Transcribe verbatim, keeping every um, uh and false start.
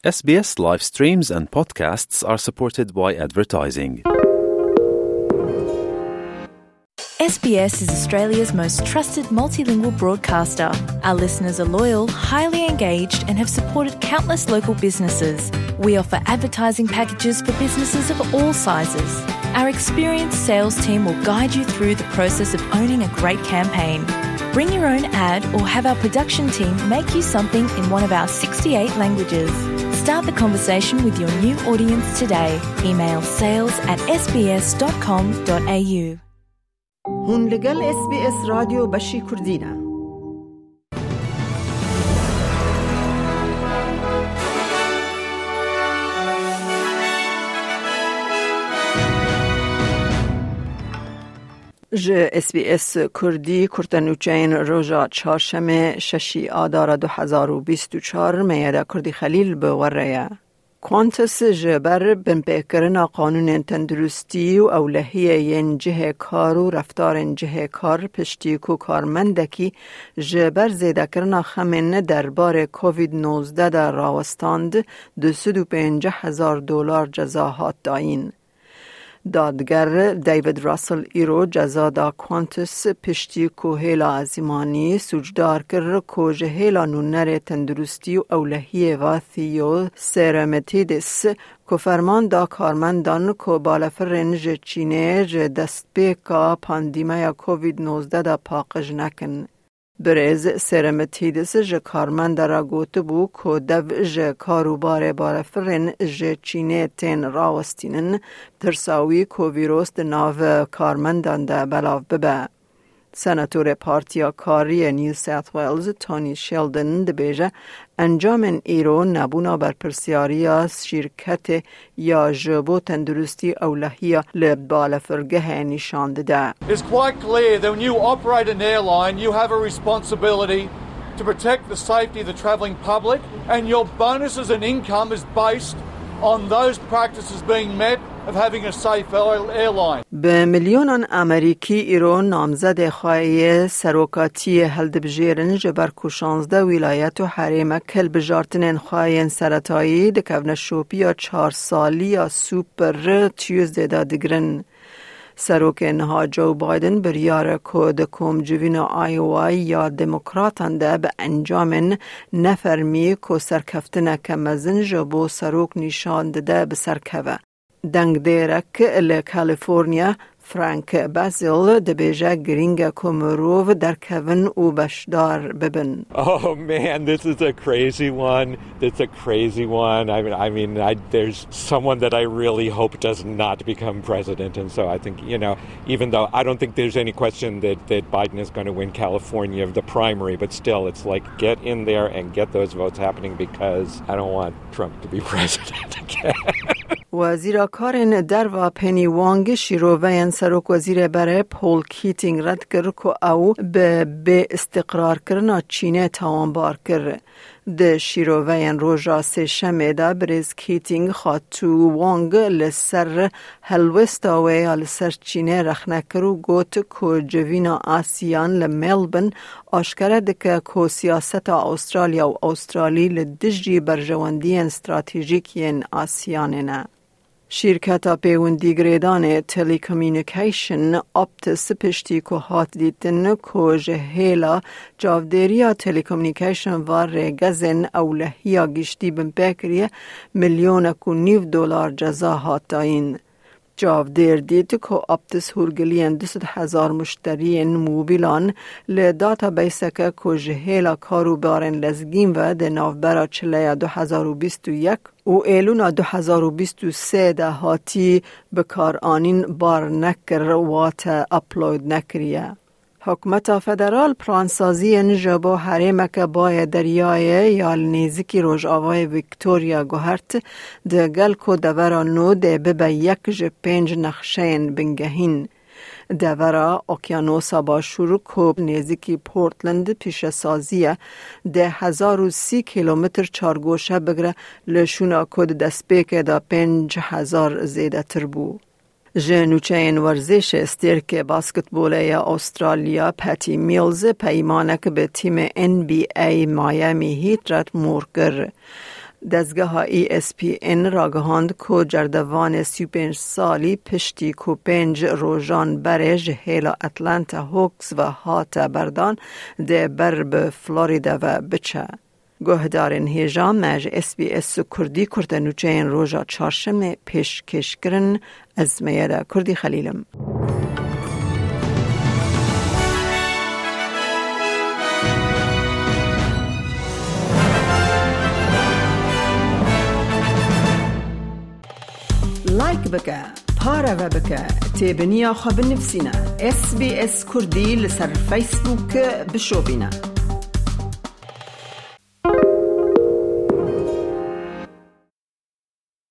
S B S live streams and podcasts are supported by advertising. S B S is Australia's most trusted multilingual broadcaster. Our listeners are loyal, highly engaged, and have supported countless local businesses. We offer advertising packages for businesses of all sizes. Our experienced sales team will guide you through the process of owning a great campaign. Bring your own ad or have our production team make you something in one of our sixty-eight languages. Start the conversation with your new audience today. Email sales at S B S dot com dot A U. Hûn li gel S B S Radyo Beşî Kurdî ne. Ji S B S Kurdî kurtenûçeyên roja çarşemê şeşî Adara du hezar û bîst û çar Meyeda Kurdî Xelîl bi we re ye. Qantas ji ber binpêkirina qanûnên tenduristî û ewlehiyê yên cihê kar û reftarên cihê kar piştî ku karmendekî ji ber zêdekirina xemên derbarê Covid nozdeh de rawestand, du sed û pêncî hezar dolar ceza hat dayîn. Dadger David Russell îro ceza da Qantas piştî ku hêla ezîmanî sûcdar kir ku ji hêla nûnerê tenduristî û ewlehiyê ve Theo Seremetidis ku ferman da karmendan ku balefirên ji Çînê ji destpêka pandîmeya Covid nozdeh de paqij nekin. Birêz Seremetidis ji karmenda re gotibû ku dev ji karûbarê balefirên ji Çînê tên rawestînin, tirsa wî ku vîros di nav karmendan de belav bibe. Senatorê Partiya Kariyê New South Wales Tony Sheldon dibêje, encamên îro nebûna berpirsiyariya şîrketê ya ji bo tenduristî ewlehiya li balefirgehê nîşan dide. It's quite clear that when you operate an airline, you have a responsibility to protect the safety of the travelling public, and your bonuses and income is based on those practices being met of having a safe air-, airline. Bi milyonan Amerîkî îro namzedê xwe yê serokatiyê hildibijêrin, ji ber ku şazdeh wîlayet û herêmek hilbijartinên xwe yên seretayî di kevneşopiya çar salî ya Super Tuesday de digirin. Serokê niha Joe Biden biryar e ku di komcivîna Iowa ya Demokratan de bi encamên nefermî ku serkeftineke mezin ji bo serok nîşan dide bi ser keve. Dengdêrek li California, Frank Basil, dibêje, girîng e ku mirov derkevin û beşdar bibin. Oh man, this is a crazy one. It's a crazy one. I mean, I mean, I, there's someone that I really hope does not become president, and so I think, you know, even though I don't think there's any question that, that Biden is gonna win California, the primary, but still, it's like, get in there and get those votes happening because I don't want Trump to be president again. Wezîra Karên Derva Penny Wong şîroveyên Serokwezîrê berê Paul Keating red kir ku ew bi bêîstiqrarkirina Çînê tawanbar kir. Di şîroveyên roja Sêşemê de birêz Keating xatû Wong li ser helwesta wê ya li ser Çînê rexne kir û got ku civîna Asiyan li Melbourne aşkere dike ku siyaseta Australya û Australî li dijî berjewendiyên stratejîk yên Asiyanê ne. Şîrketa pêwendî girêdanê Telecommunication Optus piştî ku hat dîtin ku ji hêla çavdêriya telecommunication ve rêgezên ewlehiya giştî binpê kiriye, milyonek û nîv dolar ceza hat dayîn. Çavdêr dît ku Optus hûrgiliyên du sed hezar muşteriyên mobîlan li databaseeke ku ji hêla karûbarên lezgîn ve di navbera çileya du hezar û bîst û yek û êlûna du hezar û bîst û sê de hatî bikaranîn bar nekir, wate upload nekiriye. Hikûmeta federal plansaziyên ji bo herêmeke bayê deryayê ya li nêzîkî rojavayê Victoria guhert, di gel ku devera nû dê bibe yek ji pênc nexşeyên bingehîn. Devera Okyanosa Başûr ku nêzîkî Portland pîşesazî ye, dê hezar û sî kîlometr çargoşe bigre, li şûna ku di destpêkê de pênc hezar zêdetir bû. Ji nûçeyên werzişê stêrkê basketbolê ya Australya Patty Mills peymanek bi tîmê N B A Miami Heat re mor kir. Dezgeha E S P N ragihand ku cerdevanê sî û pênc salî piştî ku pênc rojan berê ji hêla Atlanta Hawks ve hate berdan, dê ber bi Florida ve biçe. Guhdarên hêja me ji S B S Kurdî kurtenûçeyên roja çarşemê pêşkêş kirin, ez Meyeda Kurdî Xelîl im. Like bike, pareve bike, têbiniya xwe binivîsîne. S B S Kurdî li ser Facebook bişopîne.